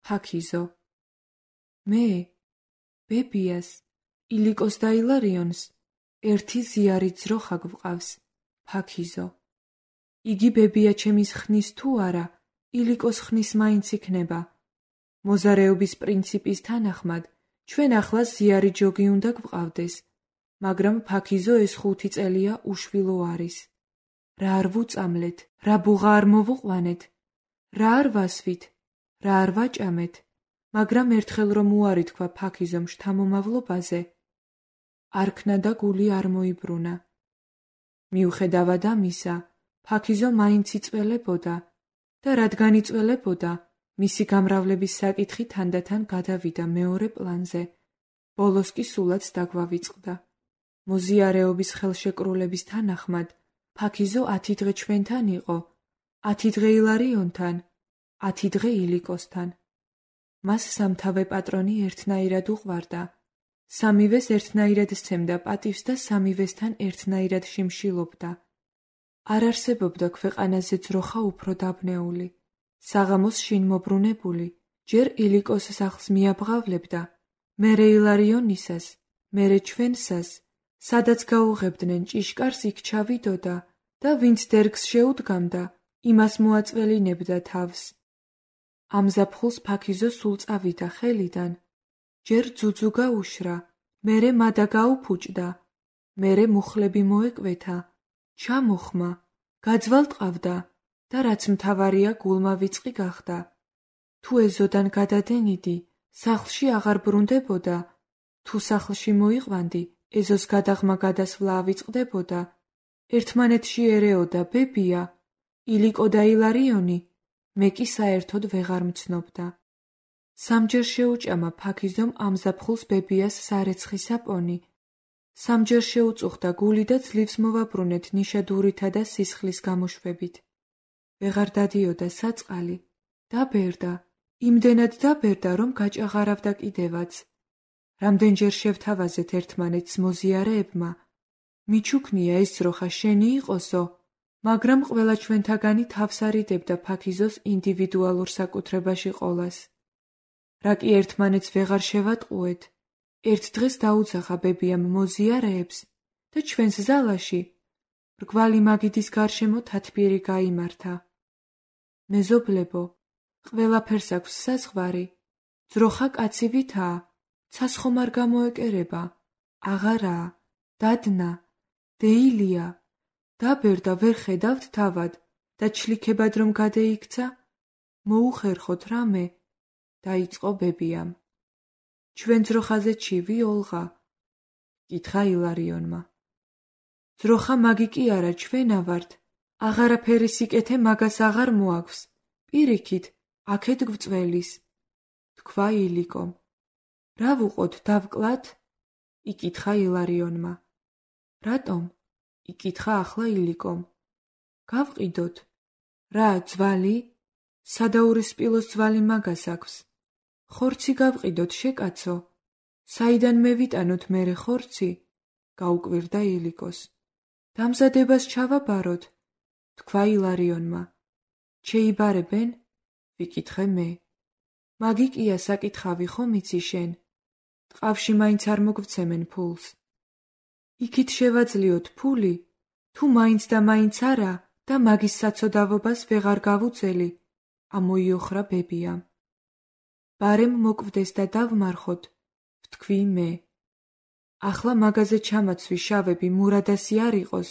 ფაქიზო. მე, ბებიას, ილიკოს და ილარიონს ერთი ზიარი ძროხა გვყავს, ფაქიზო. იგი ბებია ჩემის ხნის თუ არა, ილიკოს ხნის მაინც იქნება. მოზარეობის პრინციპის თანახმად, ჩვენ ახლა ზიარი ჯოგი უნდა გვყავდეს, მაგრამ ფაქიზო ეს 5 წელია უშვილო არის. რა არ ვუწამლეთ, რა ბუღა არ მოვუყვანეთ, რა არ ვასვით, რა არ ვაჭამეთ, მაგრამ ერთხელ რომ უარი თქვა ფაქიზომ შთამომავლობაზე, არქნა და გული არ მოიბრუნა. მიუხედავად ამისა, ფაქიზო მაინც იწველებოდა და რადგან იწველებოდა, მისი გამრავლების საკითხი თანდათან გადავიდა მეორე პლანზე. ბოლოს კი სულაც დაგვავიწყდა. მოზიარეობის ხელშეკრულების თანახმად, ფაქიზო 10 დღე ჩვენთან იყო, 10 დღე ილარიონთან, 10 დღე ილიკოსთან. მას სამთავე პატრონი ერთნაირად უყვარდა. სამივეს ერთნაირად სცემდა პატივს და სამივესთან ერთნაირად შიმშილობდა. არ არსებობდა ქვეყანაზე ძროხა უფრო დაბნეული. საღამოს შინ მობრუნებული, ჯერ ილიკოს სახლს მიაბღავლებდა, მერე ილარიონისას, მერე ჩვენსას, სადაც გაუღებდნენ ჭიშკარს იქ ჩავიდოდა და ვინც დერგს შეუდგამდა, იმას მოაწველინებდა თავს. ამ ზაფხულს ფაქიზო სულ წავიდა ხელიდან. ჯერ ძუძუ გაუშრა, მერე მადა გაუფუჭდა, მერე მუხლები მოეკვეთა, ჩამოხმა, გაძვალტყავდა და რაც მთავარია გულმა ვიწყი გახდა. თუ ეზოდან გადადენიდი, სახლში აღარ ბრუნდებოდა, თუ სახლში მოიყვანდი, ეზოს გადაღმა გადასვლა ავიწყდებოდა. ერთმანეთში ერეოდა ბებია, ილიკო და ილარიონი, მე კი საერთოდ ვეღარ მცნობდა. სამჯერ შეუჭამა ფაქიზომ ამ ზაფხულს ბებიას სარეცხი საპონი. სამჯერ შეუწუხდა გული და ძლივს მოვაბრუნეთ ნიშადურითა და სისხლის გამოშვებით. ვეღარ დადიოდა საწყალი. დაბერდა, იმდენად დაბერდა, რომ გაჭაღარავდა კიდევაც. რამდენჯერ შევთავაზეთ ერთმანეთს მოზიარეებმა. მიჩუქნია ეს ძროხა შენი იყოსო, მაგრამ ყველა ჩვენთაგანი თავს არიდებდა ფაქიზოს ინდივიდუალურ საკუთრებაში ყოლას. რა კი ერთმანეთს ვეღარ შევატყუეთ, ერთ დღეს დაუძახა ბებიამ მოზიარეებს და ჩვენს ზალაში მრგვალი მაგიდის გარშემო თათბირი გაიმართა. მეზობლებო, ყველაფერს აქვს საზღვარი, ძროხა კაცი ვითაა, ცას ხომ არ გამოეკერება, აღარაა, დადნა, დეილია, დაბერდა ვერ ხედავთ თავად და ჩლიქებად რომ გადეიქცა, მოუხერხოთ რამე, დაიწყო ბებიამ. ჩვენ ძროხაზე ჩივი ოლღა? კითხა ილარიონმა. ძროხა მაგი კი არა, ჩვენა ვართ, აღარაფერი სიკეთე მაგას აღარ მოაქვს, პირიქით, აქეთ გვწველის, თქვა ილიკომ. რა ვუყოთ, დავკლათ? იკითხა ილარიონმა. რატომ? იკითხა ახლა ილიკომ. გავყიდოთ. რა, ძვალი? სადაურისპილოს ძვალი მაგას აქვს. ხორცი გავყიდოთ, შეკაცო. საიდან მე ვიტანოთ მერე ხორცი? გაუკვირდა ილიკოს. დამზადებას ჩავაბაროთ, თქვა ილარიონმა. შეიბარებენ? ვიკითხე მე. მაგი კია საკითხავი ხომ იცი შენ? ტყავში მაინც არ მოგვცემენ ფულს. იქით შევაძლიოთ ფული, თუ მაინც და მაინც არა და მაგის საცოდავობას ვეღარ გავუძელი, ამოიოხრა ბებიამ. ბარემ მოკვდეს და დავმარხოთ, ვთქვი მე. ახლა მაგაზე ჩამაცვი შავები მურადასი არ იყოს,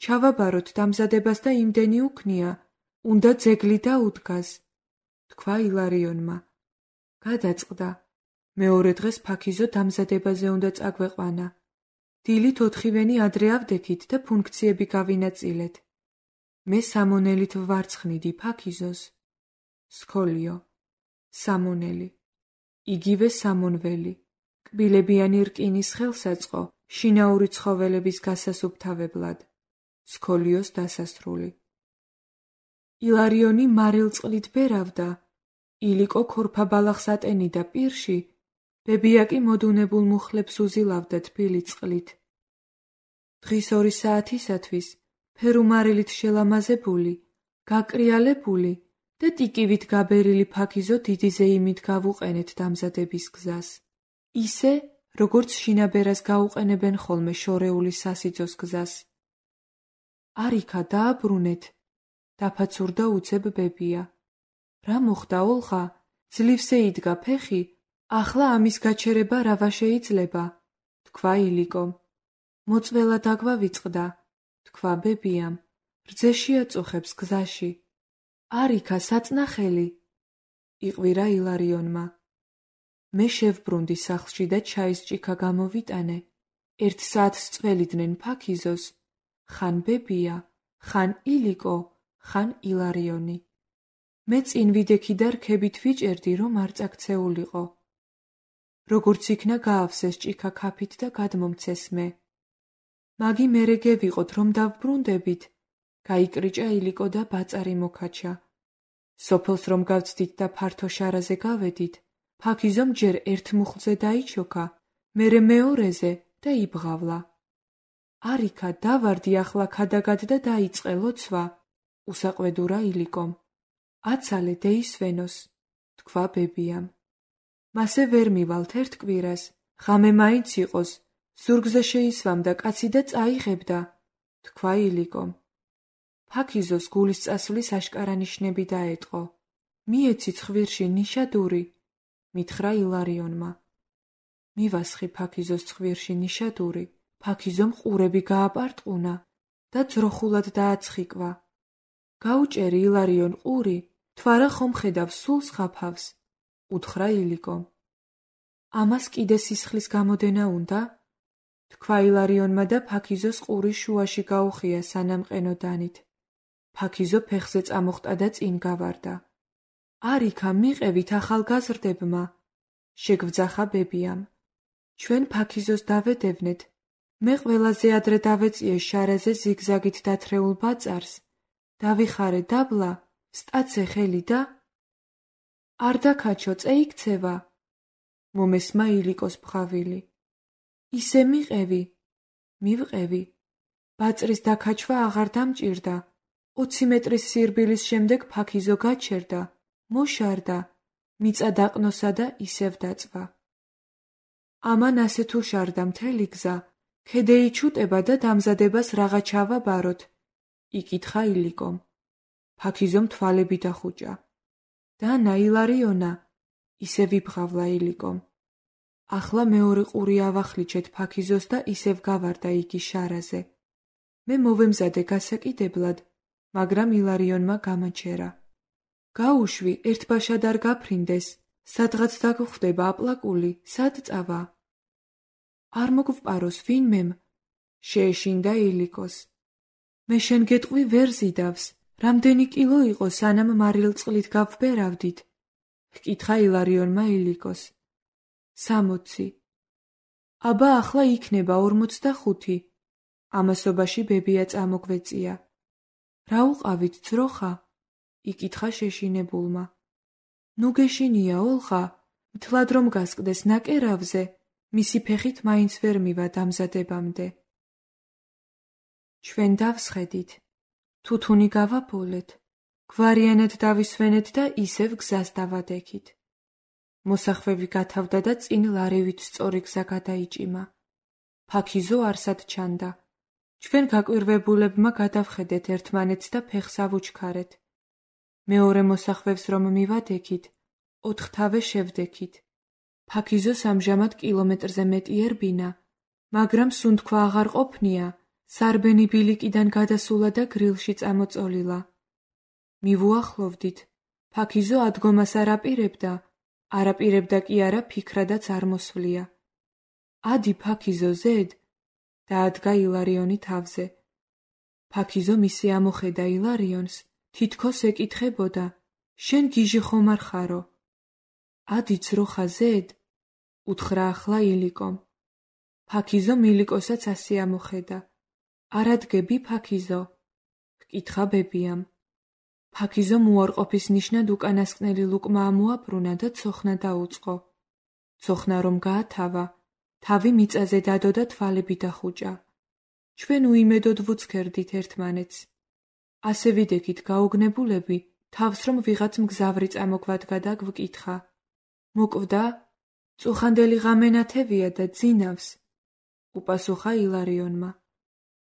ჩავაბაროთ დამზადებას და იმდენი უქნია, უნდა ძეგლი დაუდგას, თქვა ილარიონმა. გადაწყდა. მეორე დღეს ფაქიზო დამზადებაზე უნდა წაგვეყვანა. დილით 4-ვენი ადრე ავდექით და ფუნქციები გავინაწილეთ. მე სამონელით ვვარცხნიდი ფაქიზოს. სქოლიო. სამონელი. იგივე სამონველი. კბილებიანი რკინის ხელსაწყო, შინაური ცხოველების გასასუფთავებლად. სქოლიოს დასასრული. ილარიონი მარილწყლით ბერავდა. ილიკო ქორფაბალახს ატენიდა პირში, ბებია კი მოდუნებულ მუხლებს უზილავდა თბილი წყლით. დღის 2 საათისათვის, ფერუმარილით შელამაზებული, გაკრიალებული და ტიკივით გაბერილი ფაქიზო დიდი ზეიმით გავუყენეთ დამზადების გზას. ისე, როგორც შინაბერას გაუყენებენ ხოლმე შორეული სასიძოს გზას. არიქა დააბრუნეთ, დაფაცურდა უცებ ბებია. რა მოხდა ოლღა? ძლივსე იდგა ფეხი, ახლა ამის გაჩერება რავა შეიძლება, თქვა ილიკომ. მოწველა დაგვავიწყდა, თქვა ბებიამ, რძეში აწუხებს გზაში. არიქა საწნახელი, იყვირა ილარიონმა. მე შევბრუნდი სახლში და ჩაის ჭიქა გამოვიტანე. 1 საათს წველიდნენ ფაქიზოს, ხან ბებია, ხან ილიკო, ხან ილარიონი. მე წინ ვიდექი და რქებით ვიჭერდი, რომ არ წაქცეულიყო. როგორც იქნა გაავსეს ჭიქა ქაფით და გადმომცეს მე. მაგი მერე გევიყოთ, რომ დავბრუნდებით, გაიკრიჭა ილიკო და ბაწარი მოკაჩა. სოფელს რომ გავცდით და ფართო შარაზე გავედით, ფაქიზომ ჯერ 1 მუხლზე დაიჩოქა, მერე მეორეზე და იბღავლა. არიქა დავარდი ახლა ქადაგად და დაიწყე ლოცვა, უსაყვედურა ილიკომ. აცალე დეისვენოს, თქვა ბებიამ. მასე ვერ მივალთ 1 კვირას, ღამე მაინც იყოს, ზურგზე შეისვამ და კაცი და წაიღებდა, თქვა ილიკომ. ფაქიზოს გულის წასვლის აშკარა ნიშნები დაეტყო. მიეცი ცხვირში ნიშადური, მითხრა ილარიონმა. მივასხი ფაქიზოს ცხვირში ნიშადური, ფაქიზომ ყურები გააპარტყუნა და ძროხულად დააცხიკვა. გაუჭერი ილარიონ ყური, თვარა ხომ ხედავს სულ ზღაფავს, უთხრა ილიკომ. ამას კიდე სისხლის გამოდენა უნდა? თქვა ილარიონმა და ფაქიზოს ყურის შუაში გაუხია სანამყენო დანით. ფაქიზო ფეხზე წამოხტა და წინ გავარდა. არიქა მიყევით ახალგაზრდებმა, შეგვძახა ბებიამ. ჩვენ ფაქიზოს დავედევნეთ, მე ყველაზე ადრე დავეწიე შარაზე ზიგზაგით დათრეულ ბაწარს, დავიხარე დაბლა, სტაცე ხელი და არ დაქაჩო წეიქცევა, მომესმა ილიკოს ბღავილი. ისე მიყევი, მივყევი, ბაწრის დაქაჩვა აღარ დამჭირდა, 20 მეტრის სირბილის შემდეგ ფაქიზო გაჩერდა, მოშარდა, მიწა დაყნოსა და ისევ დაწვა. ამან ასე თუ შარდა მთელი გზა, ქედეი ჩუტება და დამზადებას რაღა ჩავაბაროთ, იკითხა ილიკომ. ფაქიზომ თვალები დახუჭა. დანა ილარიონა, ისე ვიბღავლა ილიკომ. ახლა მეორე ყური ავახლიჩეთ ფაქიზოს და ისევ გავარდა იგი შარაზე. მე მოვემზადე გასაკიდებლად, მაგრამ ილარიონმა გამაჩერა. გაუშვი, ერთბაშად არ გაფრინდეს, სადღაც დაგხვდება აპლაკული, სად წავა? არ მოგვპაროს ვინმემ, შეეშინდა ილიკოს. მე შენ გეტყვი ვერ ზიდავს, რამდენი კილო იყო სანამ მარილწყლით გავბერავდით? ჰკითხა ილარიონმა ილიკოს. 60. აბა ახლა იქნება 45. ამასობაში ბებია წამოგვეწია. რა უყავით ძროხა? იკითხა შეშინებულმა. ნუ გეშინია ოლღა, მთლად რომ გასკდეს ნაკერავზე, მისი ფეხით მაინც ვერ მივა დამზადებამდე. ჩვენ დავსხედით, თუთუნი გავაბოლეთ, გვარიანად დავისვენეთ და ისევ გზას დავადექით. მოსახვევი გათავდა და წინ ლარევით სწორი გზა გადაიჭიმა. ფაქიზო არსად ჩანდა. ჩვენ გაკვირვებულებმა გადავხედეთ ერთმანეთს და ფეხს ავუჩქარეთ. მეორე მოსახვევს რომ მივადექით, 4 თავე შევდექით. ფაქიზოს ამჟამად კილომეტრზე მეტი ერბინა, მაგრამ სუნთქვა აღარ ყოფნია, სარბენი ბილიკიდან გადასულა და გრილში წამოწოლილა. მივუახლოვდით, ფაქიზო ადგომას არაპირებდა კი არა ფიქრადაც არ მოსვლია. ადი ფაქიზო ზედ, დაადგა ილარიონი თავზე. ფაქიზო მისი ამოხედა ილარიონს, თითქოს ეკითხებოდა, შენ გიჟი ხომ არ ხარო? ადი ძროხა ზედ, უთხრა ახლა ილიკომ. ფაქიზომ ილიკოსაც ასე ამოხედა. არადგები ფაქიზო? ჰკითხა ბებიამ. ფაქიზომ უარყოფის ნიშნად უკანასკნელი ლუკმა ამოაბრუნა და ცოხნა დაუწყო. ცოხნა რომ გაათავა, თავი მიწაზე დადო და თვალები დახუჭა. ჩვენ უიმედოდ ვუცქერდით ერთმანეთს. ასე ვიდექით გაოგნებულები, თავს რომ ვიღაც მგზავრი წამოგვადგა და გვკითხა. მოკვდა? წუხანდელი ღამენათევია და ძინავს. უპასუხა ილარიონმა.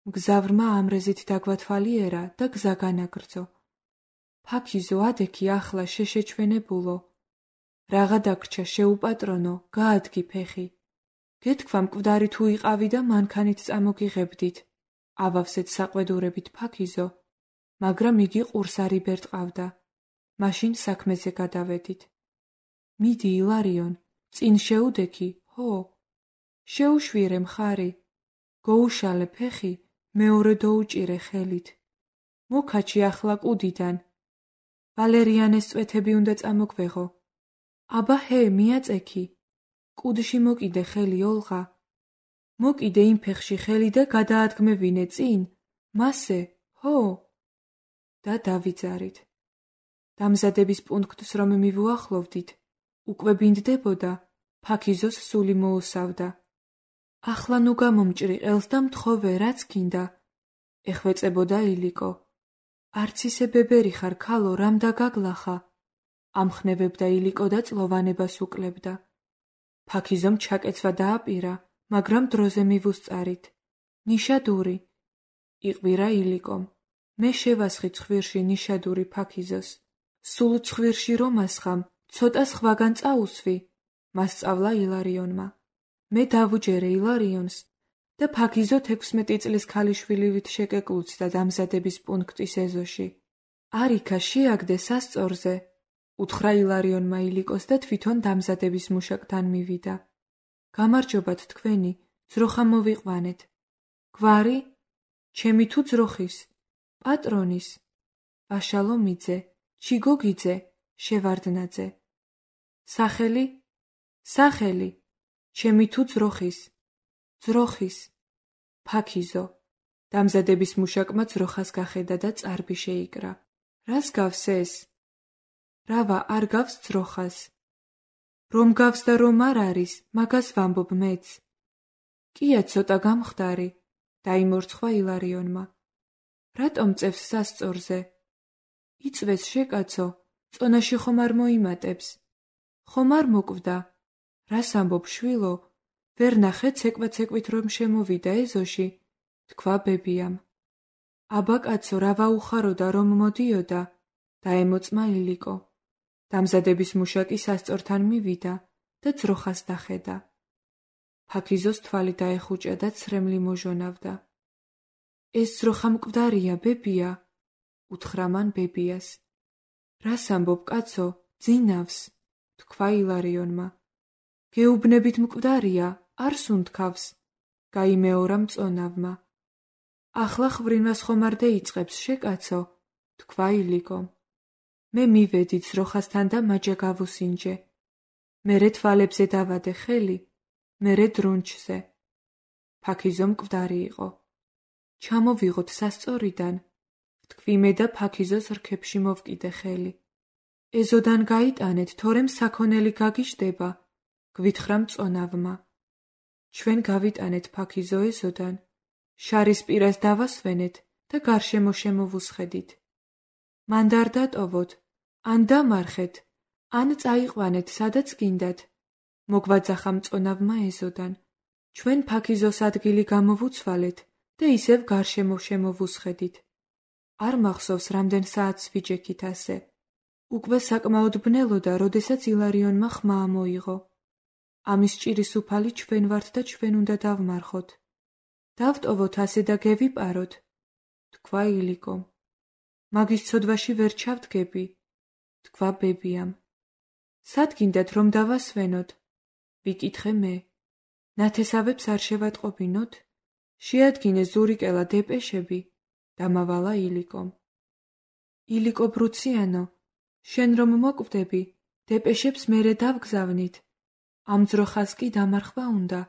მგზავრმა ამრეზით დაგვათვალიერა და გზა განაგრძო. ფაქიზო, ადექი ახლა შეშეჩვენებულო. რაღა დაგრჩა შეუპატრონო, გაადგი ფეხი. გეთქვა მკვდარი თუ იყავი და მანქანით წამოგიღებდით. ავავსეთ საყვედურებით ფაქიზო, მაგრამ იგი ყურს არ იბერტყავდა. მაშინ საქმეზე გადავედით. მიდი ილარიონ, წინ შეუდექი, ჰო. შეუშვირე მხარი. გოუშალე ფეხი, მეორე დოუჭირე ხელით. მოკაჩი ახლა კუდიდან. ვალერიანეს წვეთები უნდა წამოგვეღო. აბა ჰე, მიაწექი. კუდში მოკიდე ხელი ოლღა. მოკიდე იმ ფეხში ხელი და გადაადგმევინე წინ. მასე, ჰო. და დავიძარით. დამზადების პუნქტს რომ მივუახლოვდით, უკვე ბინდდებოდა, ფაქიზოს სული მოუსავდა. ახლა ნუ გამომჭრი ყელს და მთხოვე, რაც გინდა. ეხვეწებოდა ილიკო. არც ისე ბებერი ხარ, ქალო, რამ დაგაგლახა? ამხნევებდა ილიკო და წლოვანებას უკლებდა. ფაქიზომ ჩაკეცვა დააპირა, მაგრამ დროზე მივუსწარით. ნიშადური. იყვირა ილიკომ. მე შევასხი ცხვირში ნიშადური ფაქიზოს. სულ ცხვირში რომ ასხამ, ცოტა სხვაგან წაუსვი, მასწავლა ილარიონმა. მე დავუჯერე ილარიონს და ფაქიზო 16 წლის ქალიშვილივით შეკეკლუცდა დამზადების პუნქტის ეზოში. არიქა შეაგდე სასწორზე, უთხრა ილარიონმა ილიკოს და თვითონ დამზადების მუშაკთან მივიდა. გამარჯობათ თქვენი, ძროხა მოვიყვანეთ. გვარი? ჩემი თუ ძროხის? პატრონის? პაშალომიძე, ჩიგოგიძე, შევარდნაძე. სახელი? სახელი. ჩემი თუ ძროხის? ძროხის. ფაქიზო. დამზადების მუშაკმა ძროხას გახედა და წარბი შეიკრა. რას გავს ეს? რავა, არ გავს ძროხას. რომ გავს და რომ არ არის, მაგას ვამბობ მეც. კია ცოტა გამხდარი, დაიმორცხვა ილარიონმა. რატომ წევს სასწორზე? იწვეს შეკაცო, წონაში ხომ არ მოიმატებს. ხომ არ მოკვდა? რას ამბობ შვილო? ვერ ნახე ცეკვა-ცეკვით რომ შემოვიდა ეზოში, თქვა ბებიამ. აბა კაცო, რა ვაუხაროდა რომ მოდიოდა? დაემოწმა ილიკო. დამზადების მუშაკი სასწორთან მივიდა და ძროხას დახედა. ფაქიზოს თვალი დაეხუჭა და ცრემლი მოჟონავდა. ეს ძროხა მკვდარია, ბებია, უთხრა მან ბებიას. რას ამბობ კაცო, ძინავს, თქვა ილარიონმა. გეუბნებით მკვდარია, არ სუნთქავს, გაიმეორა მწონავმა. ახლა ხვრივას ხომ არ დაიწყებს შეკაცო, თქვა ილიკომ. მე მივედი ძროხასთან და მაჯა გავუსინჯე. მერე თვალებზე დავადე ხელი, მერე დრუნჩზე. ფაქიზო მკვდარი იყო. ჩამოვიღოთ სასწორიდან, თქვი მე და ფაქიზოს რქებში მოვკიდე ხელი. ეზოდან გაიტანეთ, თორემ საქონელი გაგიჟდება, გვითხრა მწონავმა. ჩვენ გავიტანეთ ფაქიზო ეზოდან, შარის პირას დავასვენეთ და გარშემო შემოვუსხედით. მან არ დატოვოთ, ან დამარხეთ, ან წაიყვანეთ სადაც გინდათ, მოგვაძახა მწონავმა ეზოდან. ჩვენ ფაქიზოს ადგილი გამოვუცვალეთ და ისევ გარშემო შემოვუსხედით. არ მახსოვს რამდენ საათს ვიჯექით ასე. უკვე საკმაოდ ბნელოდა, როდესაც ილარიონმა ხმა მოიღო. ამის ჭირის უფალი ჩვენ ვართ და ჩვენ უნდა დავმარხოთ. დავტოვოთ ასე და გევიპაროთ, თქვა ილიკომ. მაგის ცოდვაში ვერ ჩავდგები, თქვა ბებიამ. სად გინდათ რომ დავასვენოთ? ვიკითხე მე. ნათესავებს არ შევატყობინოთ? შეადგინე ზურიკელა დეპეშები, დამავალა ილიკომ. ილიკო ბრუციანო, შენ რომ მოკვდები, დეპეშებს მერე დავგზავნით. ამ ძროხას კი დამარხვა უნდა.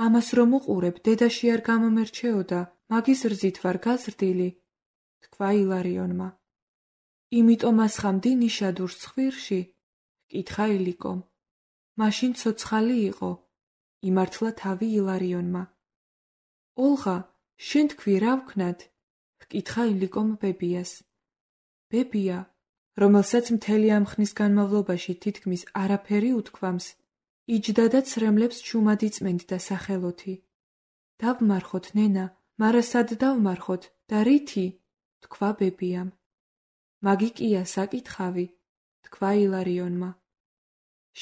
ამას რომ უყურებ, დედაში არ გამომერჩეოდა, მაგის რძით ვარ გაზრდილი, თქვა ილარიონმა. იმიტომ ასხამდი ნიშადურს ცხვირში, კითხა ილიკომ. მაშინ ცოცხალი იყო, იმართლა თავი ილარიონმა. ოლღა, შენ თქვი რა ვქნათ? კითხა ილიკომ ბებიას. ბებია, რომელსაც მთელი ამ ხნის განმავლობაში თითქმის არაფერი უთქვამს, იჯდა და ცრემლებს ჩუმად იწმენდდა სახელოთი. დავმარხოთ, ნენა, მარა სად დავმარხოთ და რითი? თქვა ბებიამ. მაგი კია საკითხავი, თქვა ილარიონმა.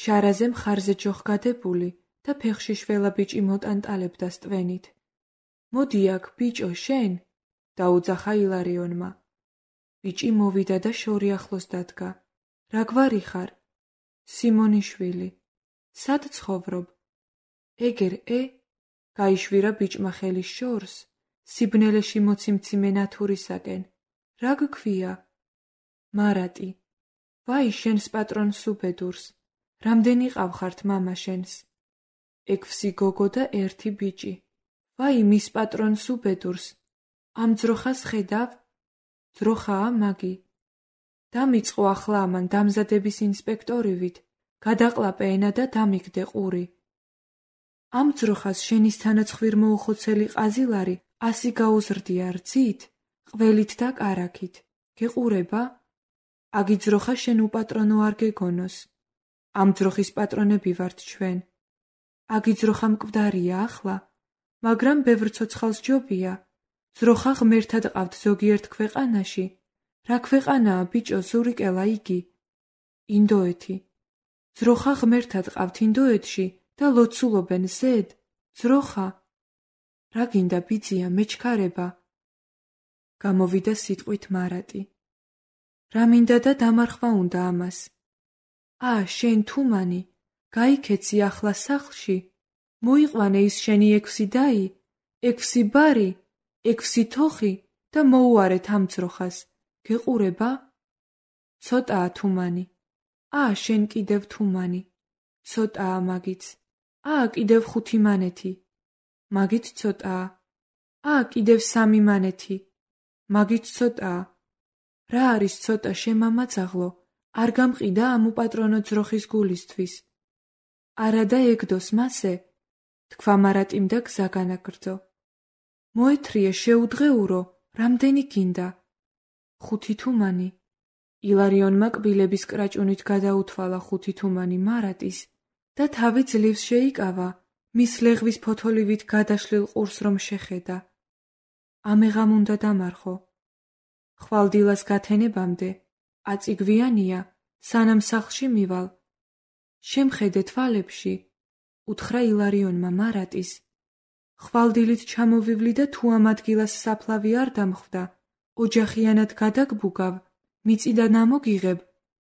შარაზე მხარზე ჯოხგადებული და ფეხში შველა ბიჭი მოტანტალებდა სტვენით. მოდი აქ, ბიჭო, შენ? დაუძახა ილარიონმა. ბიჭი მოვიდა და შორი ახლოს დადგა. რა გვარი ხარ? სიმონიშვილი. სად ცხოვრობ? ეგერ, გაიშვირა ბიჭმა ხელი შორს, სიბნელეში მოციმციმე ნათურისაკენ. რა გქვია? მარატი. ვაი, შენს პატრონს უბედურს. რამდენი ყავხართ მამა შენს? 6 გოგო და 1 ბიჭი. ვაი, მის პატრონს უბედურს. ამ ძროხას ხედავ? ძროხაა მაგი. დამიწყო ახლა ამან დამზადების ინსპექტორივით, გადაყლაპე ენა და დამიგდე ყური. ამ ძროხას შენის თანაცხვիր მოუხოცელი ყაზილარი 100 გაუზრდია რძით, ყველით და კარაქით. გეყურება? აგი ძროხა შენ უპატრონო არ გეგონოს. ამ ძროხის პატრონები ვართ ჩვენ. აგი ძროხა მკვდარია ახლა, მაგრამ ბევრ ცოცხალს ჯობია. ძროხა ღმერთად ყავთ ზოგიერთ ქვეყანაში. რა ქვეყანაა, ბიჭო, ზურიკელა იგი? ინდოეთი. ძროხა ღმერთად ყავთ ინდოეთში და ლოცულობენ ზედ. ძროხა. რა გინდა, ბიძია, მეჩქარება? გამოვიდა სიტყვით მარატი. რა მინდა და დამარხვა უნდა ამას? შენ თუმანი, გაიქეცი ახლა სახლში. მოიყვანე ის შენი 6 დაი, 6 ბარი, 6 თოხი და მოუარეთ ამ ძროხას. გეყურება? ცოტაა თუმანი. შენ კიდევ თუმანი. ცოტაა მაგიც. კიდევ 5 მანეთი. მაგიც ცოტაა. კიდევ 3 მანეთი. მაგიც ცოტაა. რა არის ცოტა, შემამაძაღლო? არ გამყიდა ამ უპატრონო ძროხის გულისთვის. არა და ეგდოს მასე, თქვა მარატიმ და გზა განაგრძო. მოეთრიე, შეუდღეურო, რამდენი გინდა? 5 თუმანი. ილარიონმა კბილების კრაჭუნით გადაუთვალა 5 თუმანი მარატის და თავი ძლივს შეიკავა, მის ლეღვის ფოთოლივით გადაშლილ ყურს რომ შეხედა. ამეღამ უნდა დამარხო. ხვალდილას გათენებამდე, აწიგვიანია, სანამ სახლში მივალ. შემხედე თვალებში, უთხრა ილარიონმა მარატის. ხვალდილით ჩამოვივლი და თუ ამ ადგილას საფლავი არ დამხვდა, ოჯახიანად გადაგბუგავ, მიწიდან ამოგიღებ.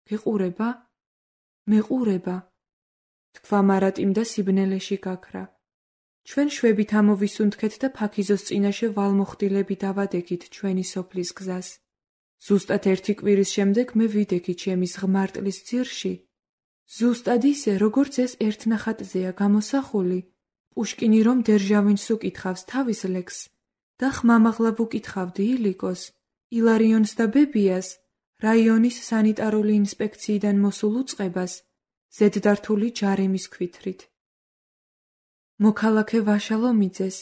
გეყურება? მეყურება. თქვა მარატიმ და სიბნელეში გაქრა. ჩვენ შვებით ამოვისუნთქეთ და ფაქიზოს წინაშე ვალმოხდილები დავადექით ჩვენი სოფლის გზას. ზუსტად 1 კვირის შემდეგ მე ვიდექი ჩემის ღმარტლის ძირში. ზუსტად ისე, როგორც ეს ერთნახატზეა გამოსახული. პუშკინი რომ დერჟავინს უკითხავს თავის ლექსს და ხმამაღლა ვუკითხავდი ილიკოს, ილარიონს და ბებიას, რაიონის სანიტარული ინსპექციიდან მოსულ უწყებას, ზედდართული ჯარიმის ქვითრით. მოქალაქე ვაშალომიძეს,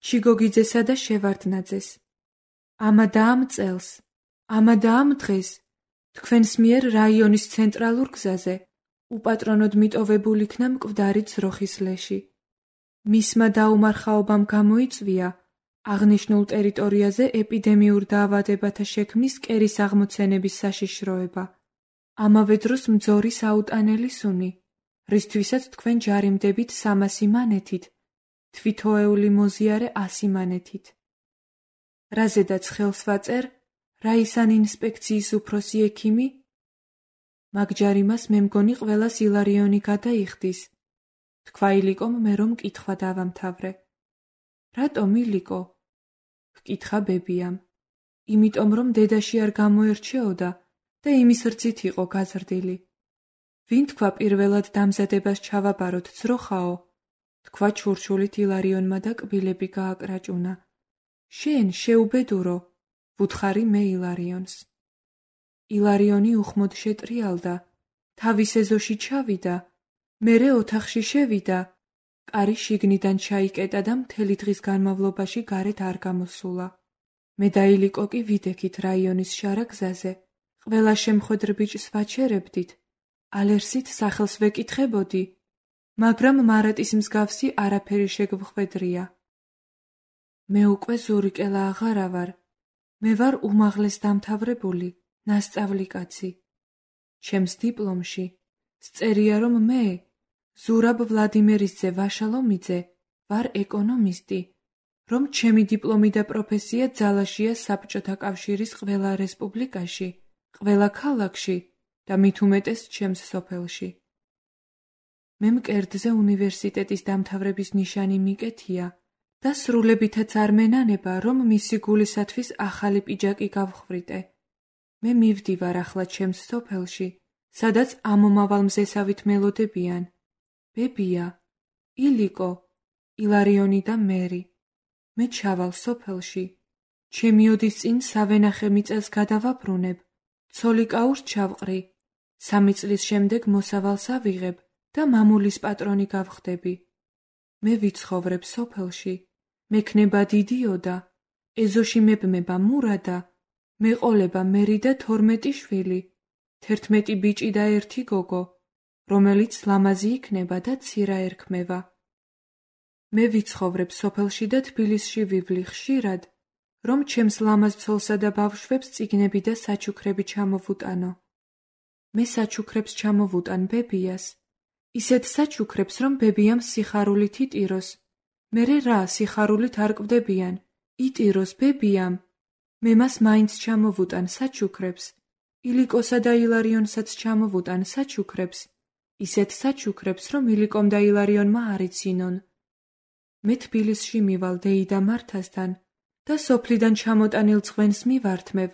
ჩიგოგიძესა და შევარდნაძეს. ამა და ამ წელს, ამა და ამ დღეს, თქვენს მიერ რაიონის ცენტრალურ გზაზე, უპატრონოდ მიტოვებულ იქნა მკვდარი ძროხის ლეში. მისმა დაუმარხაობამ გამოიწვია აღნიშნულ ტერიტორიაზე ეპიდემიურ დაავადებათა შექმნის კერის აღმოცენების საშიშროება. ამავე დროს მძორის აუტანელი სუნი, რისთვისაც თქვენ ჯარიმდებით 300 მანეთით, თვითოეული მოზიარე 100 მანეთით. რაზედაც ხელს ვაწერ, რაისან ინსპექციის უფროსი ექიმი? მაგ ჯარიმას მე მგონი ყველას ილარიონი გადაიხდის. თქვა ილიკომ მე რომ კითხვა დავამთავრე. რატომ ილიკო? ჰკითხა ბებიამ. იმიტომ რომ დედაში არ გამოერჩეოდა და იმის რძით იყო გაზრდილი. ვინ თქვა პირველად დამზადებას ჩავაბაროთ ძროხაო? თქვა ჩურჩულით ილარიონმა და კბილები გააკრაჭუნა. შენ შეუბედურო, ვუთხარი მე ილარიონს. ილარიონი უხმოდ შეტრიალდა, თავის ეზოში ჩავიდა, მერე ოთახში შევიდა, კარი შიგნიდან ჩაიკეტა და მთელი დღის განმავლობაში გარეთ არ გამოსულა. მე და ილიკო კი ვიდექით რაიონის შარა გზაზე, ყველა შემხვედრ ბიჭს ვაჩერებდით, ალერსით სახელს ვეკითხებოდი, მაგრამ მარატის მსგავსი არაფერი შეგვხვედრია. მე უკვე ზურიკელა აღარა ვარ, მე ვარ უმაღლეს დამთავრებული, ნასწავლი კაცი. ჩემს დიპლომში სწერია, რომ მე, ზურაბ ვლადიმერისძე ვაშალომიძე, ვარ ეკონომისტი, რომ ჩემი დიპლომი და პროფესია ძალაშია საბჭოთა კავშირის ყველა რესპუბლიკაში, ყველა ქალაქში და მით უმეტეს ჩემს სოფელში. მე მკერდზე უნივერსიტეტის დამთავრების ნიშანი მიკეთია და სრულებითაც არ მენანება, რომ მისი გულისათვის ახალი პიჯაკი გავხვვრიტე. მე მივდივარ ახლა ჩემს სოფელში, სადაც ამომავალ მზესავით მელოდებიან ბებია, ილიკო, ილარიონი და მერი. მე ჩავალ სოფელში. ჩემი ოდის წინ სავენახე მიწას გადავაბრუნებ, ცოლიკაურს ჩავყრი, 3 წლის შემდეგ მოსავალს ავიღებ და მამულის პატრონი გავხდები. მე ვიცხოვრებ სოფელში, მექნება დიდიოდა, ეზოში მებმება მურადა, მეყოლება მერი და 12 შვილი, 11 ბიჭი და 1 გოგო, რომელიც ლამაზი იქნება და ცირა ერქმევა. მე ვიცხოვრებ სოფელში და თბილისში ვივლი ხშირად, რომ ჩემს ლამაზ ცოლსა და ბავშვებს წიგნები და საჩუქრები ჩამოვუტანო. მე საჩუქრებს ჩამოვუტან ბებიას, ისეთ საჩუქრებს, რომ ბებიამ სიხარულით იტიროს. მერე რა სიხარულით არ კვდებიან, იტიროს ბებიამ. მე მას მაინც ჩამოვუტან საჩუქრებს, ილიკოსა და ილარიონსაც ჩამოვუტან საჩუქრებს, ისეთ საჩუქრებს, რომ ილიკომ და ილარიონმა არ იცინონ. მე თბილისში მივალ დეიდა მართასთან და სოფლიდან ჩამოტანილ ძღვენს მივართმევ,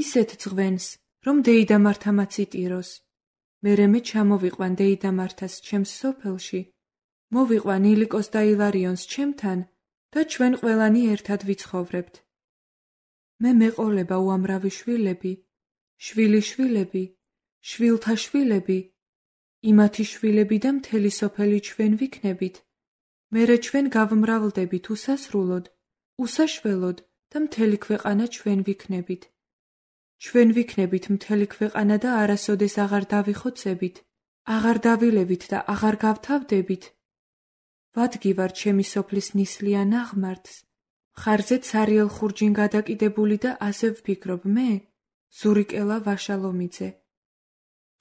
ისეთ ძღვენს, რომ დეიდა მართამაც იტიროს. მერე მე ჩამოვიყვან დეიდა მართას ჩემს სოფელში, მოვიყვან ილიკოს და ილარიონს ჩემთან და ჩვენ ყველანი ერთად ვიცხოვრებთ. მე მეყოლება უამრავი შვილები, შვილიშვილები, შვილთა შვილები, იმათი შვილები და მთელი სოფელი ჩვენ ვიქნებით. მერე ჩვენ გავმრავლდებით უსასრულოდ, უსაშველოდ და მთელი ქვეყანა ჩვენ ვიქნებით. ჩვენ ვიქნებით მთელი ქვეყანა და არასოდეს აღარ დავიხოცებით, აღარ დავილევით და აღარ გავთავდებით. ვადგივარ ჩემი სოფლის ნისლიან აღმართს, მხარზე ცარიელ ხურჯინ გადაკიდებული და ასე ვფიქრობ მე, ზურიკელა ვაშალომიძე.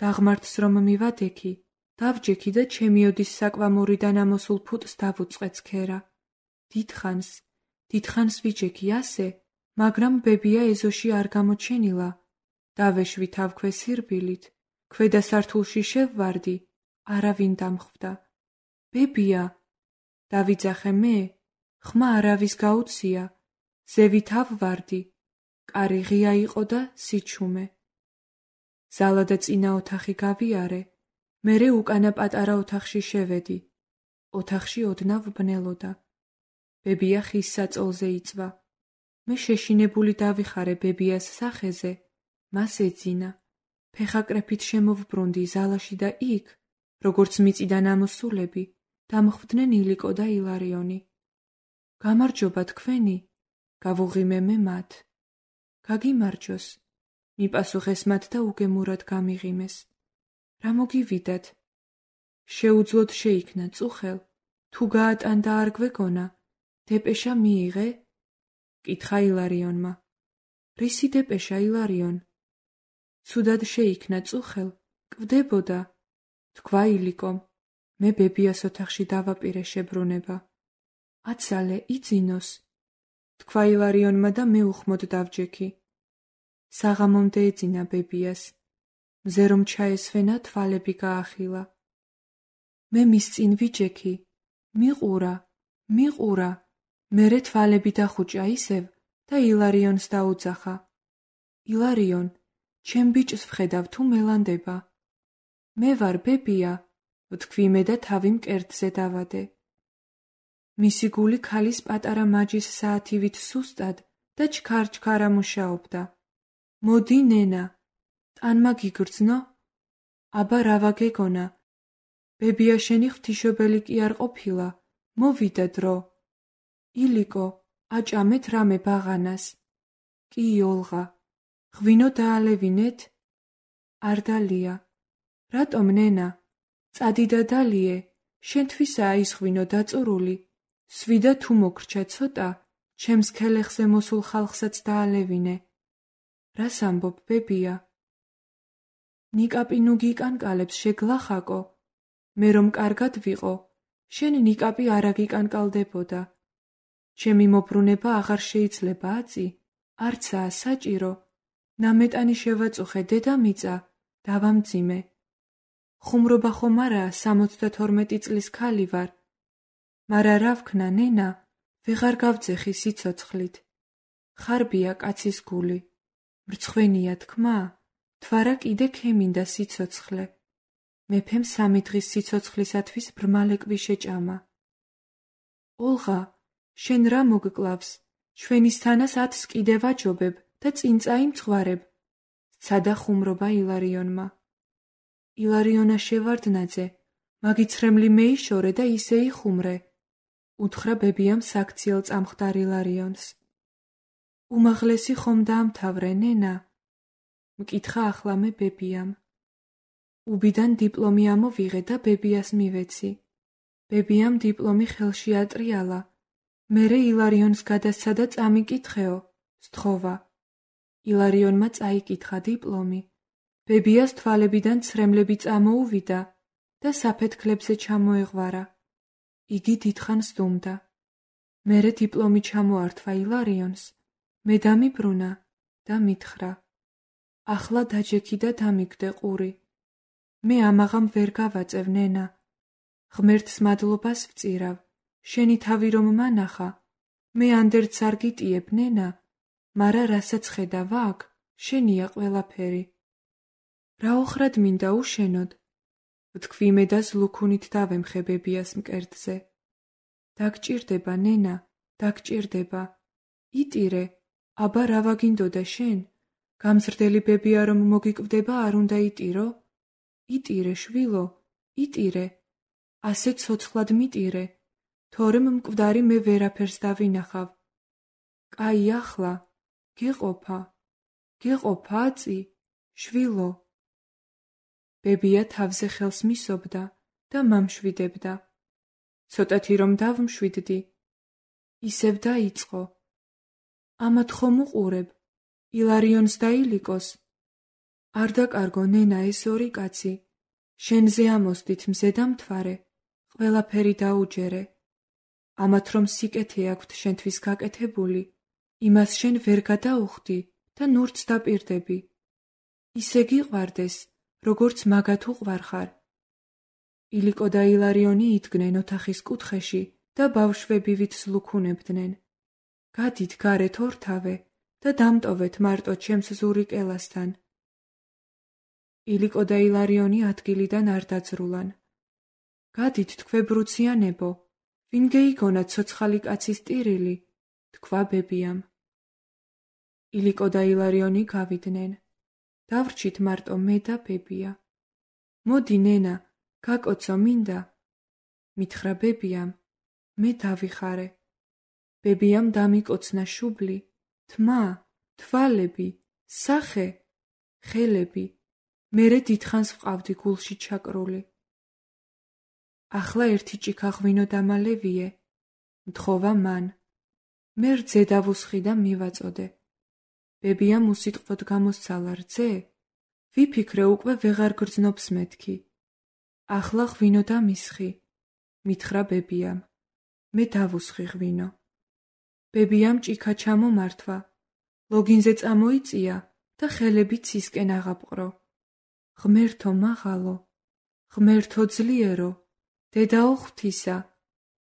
დაღმართს რომ მივადექი, დავჯექი და ჩემი ოდის საკვამურიდან ამოსულ ფუტს დავუწყე ცქერა. დიდხანს ვიჯექი ასე, მაგრამ ბებია ეზოში არ გამოჩენილა. დავეშვი თავქვე სირბილით, ქვედა სართულში შევვარდი, არავინ დამხვდა. ბებია, დავიძახე მე, ხმა არავის გაუცია, ზევით ავვარდი, კარი ღია იყო და სიჩუმე. ზალა და წინა ოთახი გავიარე, მერე უკანა პატარა ოთახში შევედი. ოთახში ოდნავ ბნელოდა. ბებია ხის საწოლზე იწვა. მე შეშინებული დავიხარე ბებიას სახეზე, მას ეძინა. ფეხაკრეფით შემოვბრუნდი ზალაში და იქ, როგორც მიწიდან ამოსულები, დამხვდნენ ილიკო და ილარიონი. გამარჯობა თქვენი, გავუღიმე მე მათ. გაგიმარჯოს, მიპასუხეს მათ და უგემურად გამიღიმეს. რა მოგივიდათ? შეუძლოდ შეიქნა წუხელ, თუ გაატანდა არ გვეგონა, დეპეშა მიიღე? კითხა ილარიონმა. რისი დეპეშა ილარიონ? ცუდად შეიქნა წუხელ, კვდებოდა, თქვა ილიკომ. მე ბებიას ოთახში დავაპირე შებრუნება. აცალე, იძინოს, თქვა ილარიონმა და მე უხმოდ დავჯექი. საღამომდე ეძინა ბებიას. მზე რომ ჩაესვენა, თვალები გაახილა. მე მის წინ ვიჯექი. მიყურა. მერე თვალები დახუჭა ისევ და ილარიონს დაუძახა. ილარიონ, ჩემ ბიჭს ვხედავ თუ მელანდება. მე ვარ ბებია, ვთქვი მე და თავი მკერდზე დავადე. მისი გული ქალის პატარა მაჯის საათივით სუსტად და ჩქარ-ჩქარა მუშაობდა. მოდი ნენა, ტანმა გიგრძნო? აბა რა ვაგეგონა? ბებია შენი ღვთისმშობელი კი არ ყოფილა, მოვიდა დრო. ილიკო, აჭამეთ რამე ბაღანას. კი ოლღა, ღვინო დაალევინეთ, არ დალია. რატომ ნენა? წადი და დალიე, შენთვისაა ის ღვინო დაწურული. სვიდა თუ მოგრჩა ცოტა, ჩემს ქელეხზე მოსულ ხალხსაც დაალევინე. რას ამბობ, ბებია? ნიკაპი ნუ გიკანკალებს შეგლახაკო. მე რომ კარგად ვიყო, შენ ნიკაპი არ აგიკანკალდებოდა. ჩემი მობრუნება აღარ შეიძლება აწი, არცაა საჭირო. ნამეტანი შევაწუხე დედამიწა, დავამძიმე. ხუმრობა ხომ არაა 72 წლის ქალი ვარ. მარა რა ვქნა ნენა, ვეღარ გავძეხი სიცოცხლით. ხარბია კაცის გული, მრცხვენია თქმა, თვარა კიდე ქემინდა სიცოცხლე. მეფემ 3 დღის სიცოცხლისათვის ბრმალეკვი შეჭამა. ოლღა, შენ რა მოგკლავს? ჩვენისთანას 10-ს კიდე ვაჯობებ და წინ წაიმცღვარებ. სცადა ხუმრობა ილარიონმა. ილარიონა შევარდნაძე, მაგიცრემლი მეიშორე და ისე იხუმრე. უთხრა ბებიამ საქციელ წამხდარ ილარიონს. უმაღლესი ხომ დაამთავრე ნენა? მკითხა ახლა მე ბებიამ. უბიდან დიპლომი ამოვიღე და ბებიას მივეცი. ბებიამ დიპლომი ხელში ატრიალა. მერე ილარიონს გადასცა და წამიკითხეო, სთხოვა. ილარიონმა წაიკითხა დიპლომი. ბებიას თვალებიდან ცრემლები წამოუვიდა და საფეთქლებზე ჩამოეღვარა. იგი დიდხანს დუმდა. მერე დიპლომი ჩამოართვა ილარიონს. მე დამიბრუნა და მითხრა. ახლა დაჯექი და დამიგდე ყური. მე ამაღამ ვერ გავაწევ ნენა. ღმერთს მადლობას ვწირავ. შენი თავი რომ მანახა, მე ანდერც არ გიტიებ ნენა, მარა რასაც ხედავ აქ, შენია ყველაფერი. რა ოხრად მინდა უშენოდ? ვთქვი მე და ზლუქუნით დავემხე ბებიას მკერდზე. დაგჭირდება ნენა, დაგჭირდება. იტირე, აბა რა ვაგინდოდა შენ? გამზრდელი ბებია რომ მოგიკვდება არ უნდა იტირო? იტირე შვილო, იტირე. ასე ცოცხლად მიტირე, თორემ მკვდარი მე ვერაფერს დავინახავ. კაი ახლა, გეყოფა აწი, შვილო. ბებია თავზე ხელს მისობდა და მამშვიდებდა. ცოტათი რომ დავმშვიდდი, ისევ დაიწყო. ამათ ხომ უყურებ, ილარიონს და ილიკოს. არ დაკარგო ნენა ეს ორი კაცი, შენზე ამოსდით მზე და მთვარე, ყველაფერი დაუჯერე. ამათ რომ სიკეთე აქვთ შენთვის გაკეთებული, იმას შენ ვერ გადაუხდი და ნურც დაპირდები. ისე გიყვარდეს, როგორც მაგათ უყვარხარ. ილიკო და ილარიონი იდგნენ ოთახის კუთხეში და ბავშვებივით ზლუქუნებდნენ. გადით გარეთ ორთავე და დამტოვეთ მარტო ჩემს ზურიკელასთან. ილიკო და ილარიონი ადგილიდან არ დაძრულან. გადით თქვებრუციანებო, ვინ გეიგონა ცოცხალი კაცის ტირილი, თქვა ბებიამ. ილიკო და ილარიონი გავიდნენ. დავრჩით მარტო მე და ბებია. მოდი ნენა, გაკოცო მინდა. მითხრა ბებიამ, მე დავიხარე. ბებიამ დამიკოცნა შუბლი, თმა, თვალები, სახე, ხელები. მერე დიდხანს ვყავდი გულში ჩაკრული. ახლა ერთი ჭიქა ღვინო დამალევიე, მთხოვა მან. მე რძე დავუსხი და მივაწოდე. ბებიამ უსიტყვოდ გამოსცალა რძე, ვიფიქრე უკვე ვეღარ გრძნობს მეთქი. ახლა ღვინო დამისხი, მითხრა ბებიამ. მე დავუსხი ღვინო. ბებიამ ჭიქა ჩამომართვა, ლოგინზე წამოიწია და ხელები ცისკენ აღაპყრო. ღმერთო მაღალო, ღმერთო ძლიერო, დედაო ღვთისა,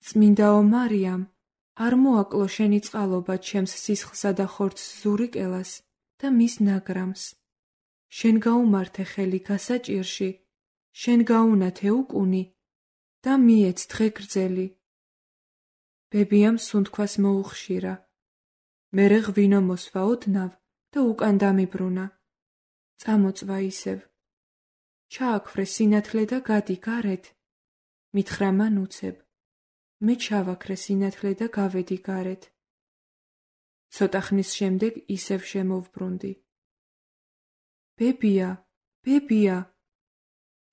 წმინდაო მარიამ, არ მოაკლო შენი წყალობა ჩემს სისხლსა და ხორცს ზურიკელას და მის ნაგრამს. შენ გაუმართე ხელი გასაჭირში, შენ გაუნათე უკუნი და მიეც დღე გრძელი. ბებიამ სუნთქვას მოუხშირა. მერე ღვინო მოსვა ოდნავ და უკან დამიბრუნა. წამოწვა ისევ. ჩააქვრე სინათლე და გადი გარეთ. მითხრა მან უცებ. მე ჩავაქრე სინათლე და გავედი გარეთ. ცოტა ხნის შემდეგ ისევ შემოვბრუნდი. ბებია, ბებია.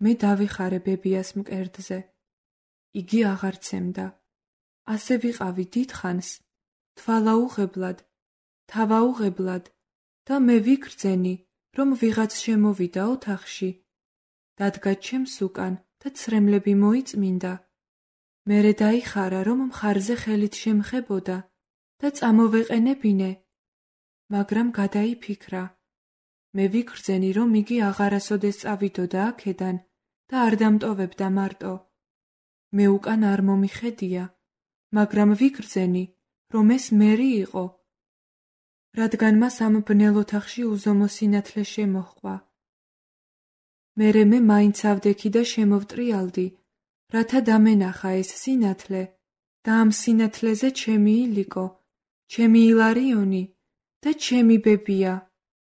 მე დავიხარე ბებიას მკერდზე. იგი აღარ ცემდა. ასე ვიყავი დიდხანს, თვალაუღებლად, თავაუღებლად და მე ვიგრძენი, რომ ვიღაც შემოვიდა ოთახში, დადგა ჩემს უკან და ცრემლები მოიწმინდა. მერე დაიხარა, რომ მხარზე ხელით შემხებოდა და წამოვეყენებინე, მაგრამ გადაიფიქრა. მე ვიგრძენი, რომ იგი აღარასოდეს წავიდოდა აქედან და არ დამტოვებდა მარტო. მე უკან არ მომიხედია, მაგრამ ვიგრძენი, რომ ეს მერი იყო, რადგან მას ამ ბნელ ოთახში უზომო სინათლე შემოჰყვა. მერე მე მაინც ავდექი და შემოვტრიალდი, რათა დამენახა ეს სინათლე და ამ სინათლეზე ჩემი ილიკო, ჩემი ილარიონი და ჩემი ბებია.